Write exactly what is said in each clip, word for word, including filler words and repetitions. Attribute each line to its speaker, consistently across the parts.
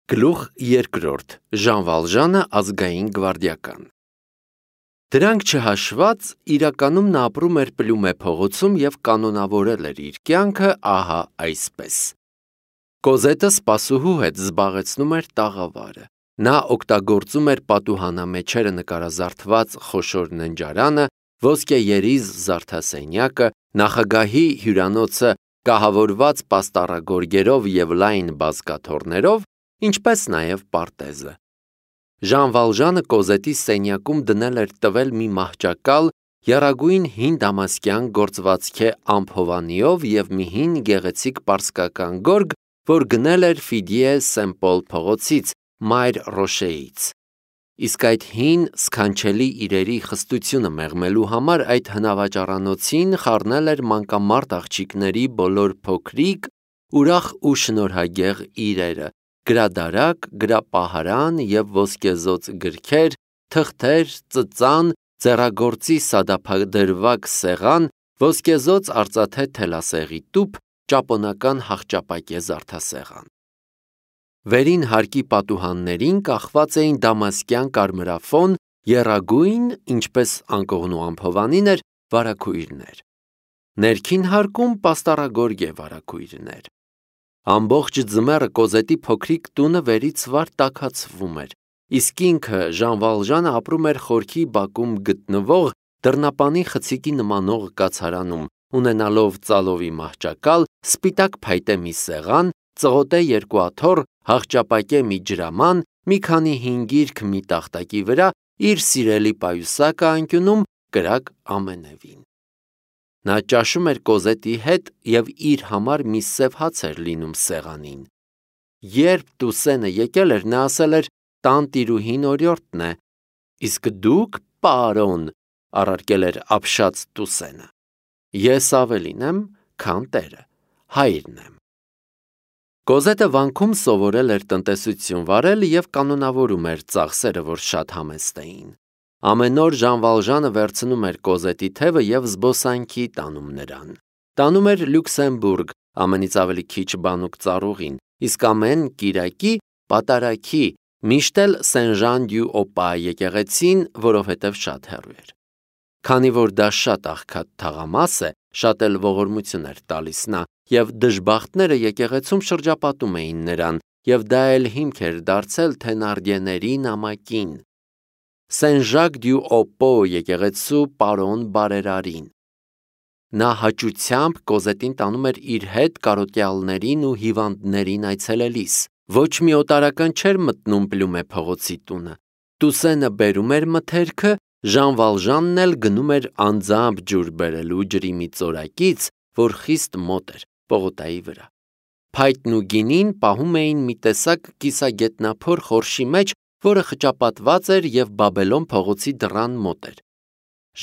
Speaker 1: Գլուխ երկրորդ. Ժան Վալժանը ազգային գվարդիական։ Դրանք չհաշված, իրականում նա ապրում էր Պլյումե փողոցում և կանոնավորել էր իր կյանքը ահա այսպես։ Կոզետը սպասուհու հետ զբաղեցնում էր տաղավարը։ Նա օգտագործում էր պատուհանամեջերը նկարազարդված խոշոր ննջարանը, ոսկեերիզ զարդասենյակը, նախագահի հյուրանոցը կահավորված պաստառագորգերով և լայն բազկաթոռներով, ինչպես նաև պարտեզը։ Ժան Վալժանը Կոզետի սենյակում դնել էր տվել մի մահճակալ եռագույն հին դամասկյան գործվածքե ամփովանիով և մի հին գեղեցիկ պարսկական գորգ, որ գնել էր Ֆիդիե Սեն-Պոլ փողոցից, Մայր Ռոշեից։ Իսկ այդ հին սքանչելի իրերի խստությունը մեղմելու համար այդ հնավաճառանոցին խառնել էր մանկամարտ աղջիկների բոլոր փոքրիկ, ուրախ ու շնորհագեղ իրերը՝ գրադարակ, գրապահարան և ոսկեզօծ գրքեր, թղթեր, ծծան, ձեռագործի սադափադրվակ սեղան, ոսկեզօծ արծաթե թելասեղի տուփ, ճապոնական հախճապակե զարդասեղան։ Վերին հարկի պատուհաններին կախված էին դամասկյան կարմրաֆոն, եռագույն, ինչպես անկողնու ամփովանին էր, վարագույրներ։ Ներքին հարկում պաստառագորգե վարագույրներ։ Ամբողջ ձմեռը Կոզետի փոքրիկ տունը վերից վար տաքացվում էր, իսկ ինքը Ժան Վալժանը ապրում էր խորքի բակում գտնվող դռնապանի խցիկի նմանող կացարանում, ունենալով ծալովի մահճակալ, սպիտակ փայտե մի սեղան, ծղոտե երկու աթոռ, հախճապակե մի ջրաման, մի քանի հին գիրք մի տախտակի վրա, իր սիրելի պայուսակը անկյունում, կրակ ամենևին։ Նա ճաշում էր Կոզետի հետ և իր համար մի սև հաց էր լինում սեղանին։ Երբ Տուսենը եկել էր, նա ասել էր. «Տան տիրուհին օրիորդն է»։ «Իսկ դուք, պարոն», առարկել էր ապշած Տուսենը։ «Ես ավելին եմ, քան տերը, հայրն եմ»։ Կոզետը վանքում սովորել էր տնտեսություն վարել և կանոնավորում էր ծախսերը, որ շատ համեստ էին։ Ամեն օր Ժան Վալժանը վերցնում էր Կոզետի թևը և զբոսանքի տանում նրան։ Տանում էր Լյուքսեմբուրգ, ամենից ավելի քիչ բանուկ ծառուղին, իսկ ամեն կիրակի պատարագի, միշտ էլ Սեն-Ժան-դյու-Օպա եկեղեցին, որովհետև շատ հեռու էր։ Քանի որ դա շատ աղքատ թաղամաս է, շատ էլ ողորմություն էր տալիս նա, և դժբախտները եկեղեցում շրջապատում էին նրան, և դա էլ հիմք էր դարձել Թենարդիեների նամակին։ Սեն-Ժակ-դյու-Օպո եկեղեցու պարոն բարերարին։ Նա հաճությամբ Կոզետին տանում էր իր հետ կարոտյալներին ու հիվանդներին այցելելիս։ Ոչ մի օտարական չէր մտնում Պլյումե փողոցի տունը։ Տուսենը բերում էր մթերքը, Ժան Վալժանն էլ գնում էր անձամբ ջուր բերելու ջրի մի ծորակից, որ խիստ մոտ էր, պողոտայի վրա։ Փայտն ու գինին պահում էին մի տեսակ կիսագետնափոր խորշի մեջ, որը խճապատված էր և Բաբելոն փողոցի դռան մոտ էր։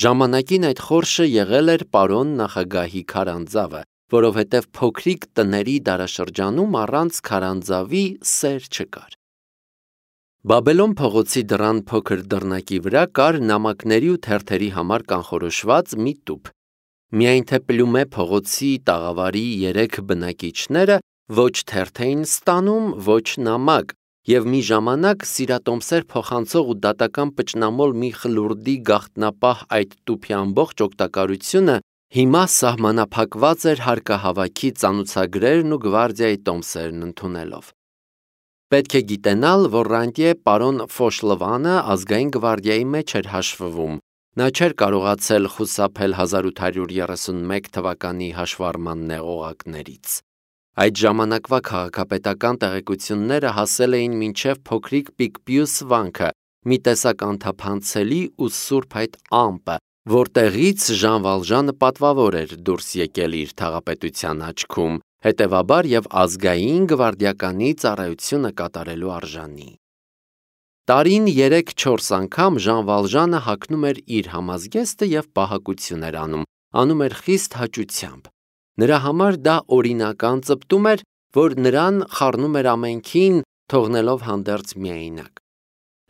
Speaker 1: Ժամանակին այդ խորշը եղել էր պարոն նախագահի քարանձավը, որովհետև փոքրիկ տների դարաշրջանում առանց քարանձավի սեր չկար։ Բաբելոն փողոցի դռան փոքր դռնակի վրա կար նամակների ու թերթերի համար կանխորոշված մի տուփ։ Միայն թե Պլյումե փողոցի տաղավարի երեք բնակիչները ոչ թերթ էին ստանում, ոչ նամակ, և մի ժամանակ սիրատոմսեր փոխանցող ու դատական պճնամոլ մի խլուրդի գաղտնապահ այդ տուփի ամբողջ օգտակարությունը հիմա սահմանափակված էր հարկահավաքի ծանուցագրերն ու գվարդիայի տոմսերն ընդունելով։ Պետք է գիտենալ, որ ռանտյե պարոն Ֆոշլվանը ազգային գվարդիայի մեջ էր հաշվվում։ Նա չէր կարողացել խուսափել հազար ութ հարյուր երեսունմեկ թվականի հաշվառման նեղողակներից։ Այդ ժամանակվա քաղաքապետական տեղեկությունները հասել էին մինչև փոքրիկ Պիկպյուս վանքը, մի տեսակ անթափանցելի ու սուրբ այդ ամպը, որտեղից Ժան Վալժանը պատվավոր էր դուրս եկել իր թաղապետության աչքում, հետևաբար և ազգային գվարդիականի ծառայությունը կատարելու արժանի։ Տարին երեք-չորս անգամ Ժան Վալժանը հագնում էր իր համազգեստը և պահակություն էր անում, անում էր խիստ հաճությամբ։ Նրա համար դա օրինական ծպտում էր, որ նրան խառնում էր ամենքին, թողնելով հանդերձ միայնակ։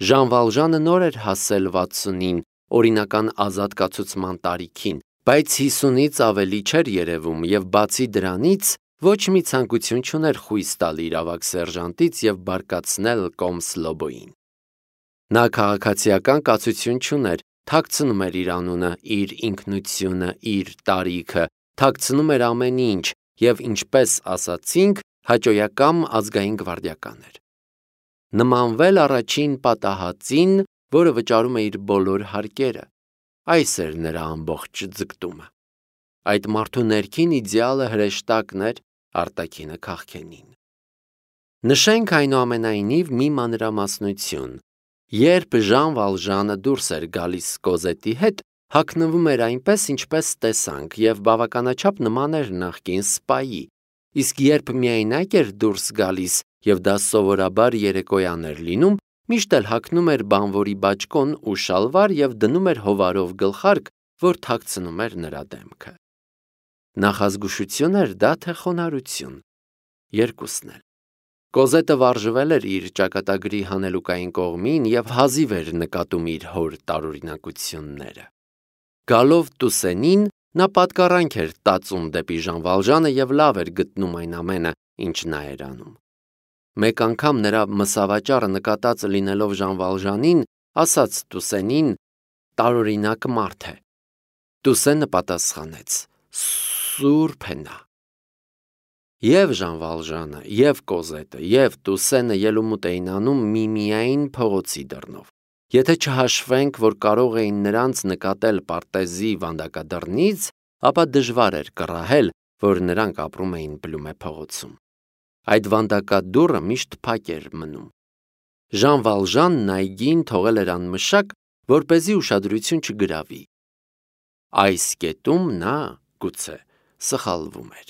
Speaker 1: Ժան Վալժանը նոր էր հասել վաթսունին, օրինական ազատ կացուցման տարիքին, բայց հիսունից ավելի չէր երևում և բացի դրանից Ոչ մի ցանկություն չուներ խույս տալ իր ավագ սերժանտից և բարկացնել Կոմսլոբոյին։ Նա քաղաքացիական կացություն չուներ, թաքցնում էր իր անունը, իր ինքնությունը, իր տարիքը, թաքցնում էր ամեն ինչ և, ինչպես ասացինք, հաճոյակամ ազգային գվարդիական էր։ Նմանվել առաջին պատահածին, որը վճարում է իր բոլոր հարկերը։ Այս էր նրա ամբողջ ձգտումը։ Այդ մարդու ներքին իդեալը հրեշտակն էր, արտաքինը քաղքենին։ Նշենք այնուամենայնիվ մի մանրամասնություն. երբ Ժան Վալժանը դուրս էր գալիս Կոզետի հետ, հագնվում էր այնպես, ինչպես տեսանք, և բավականաչափ նման էր նախկին սպայի, իսկ երբ միայնակ էր դուրս գալիս, և դա սովորաբար երեկոյան էր լինում, միշտ էլ հագնում էր բանվորի բաճկոն ու շալվար և դնում էր հովարով գլխարկ, որ թաքցնում էր նրա դեմքը։ Նախազգուշություն էր դա, թե խոնարհություն։ Երկուսն էլ։ Կոզետը վարժվել էր իր ճակատագրի հանելուկային կողմին և հազիվ էր նկատում իր հոր տարօրինակությունները։ Գալով Տուսենին, նա պատկառանք էր տածում դեպի Ժան Վալժանը և լավ էր գտնում այն ամենը, ինչ նա էր անում։ Մեկ անգամ նրա մսավաճառը նկատած լինելով Ժան Վալժանին, ասաց Տուսենին. տարօրինակ մարդ է։ Տուսենը պատասխանեց. սուրբ է նա։ Եվ Ժան Վալժանը, և Կոզետը, և Տուսենը ելումուտ էին անում միմիայն փողոցի դռնով։ Եթե չհաշվենք, որ կարող էին նրանց նկատել պարտեզի վանդակադռնից, ապա դժվար էր կռահել, որ նրանք ապրում էին Բլումե փողոցում։ Այդ վանդակադուռը միշտ փակ էր մնում։ Ժան Վալժանն այգին թողել էր անմշակ, որպեսզի ուշադրություն չգրավի։ Այս կետում նա, գուցե, սխալվում էր։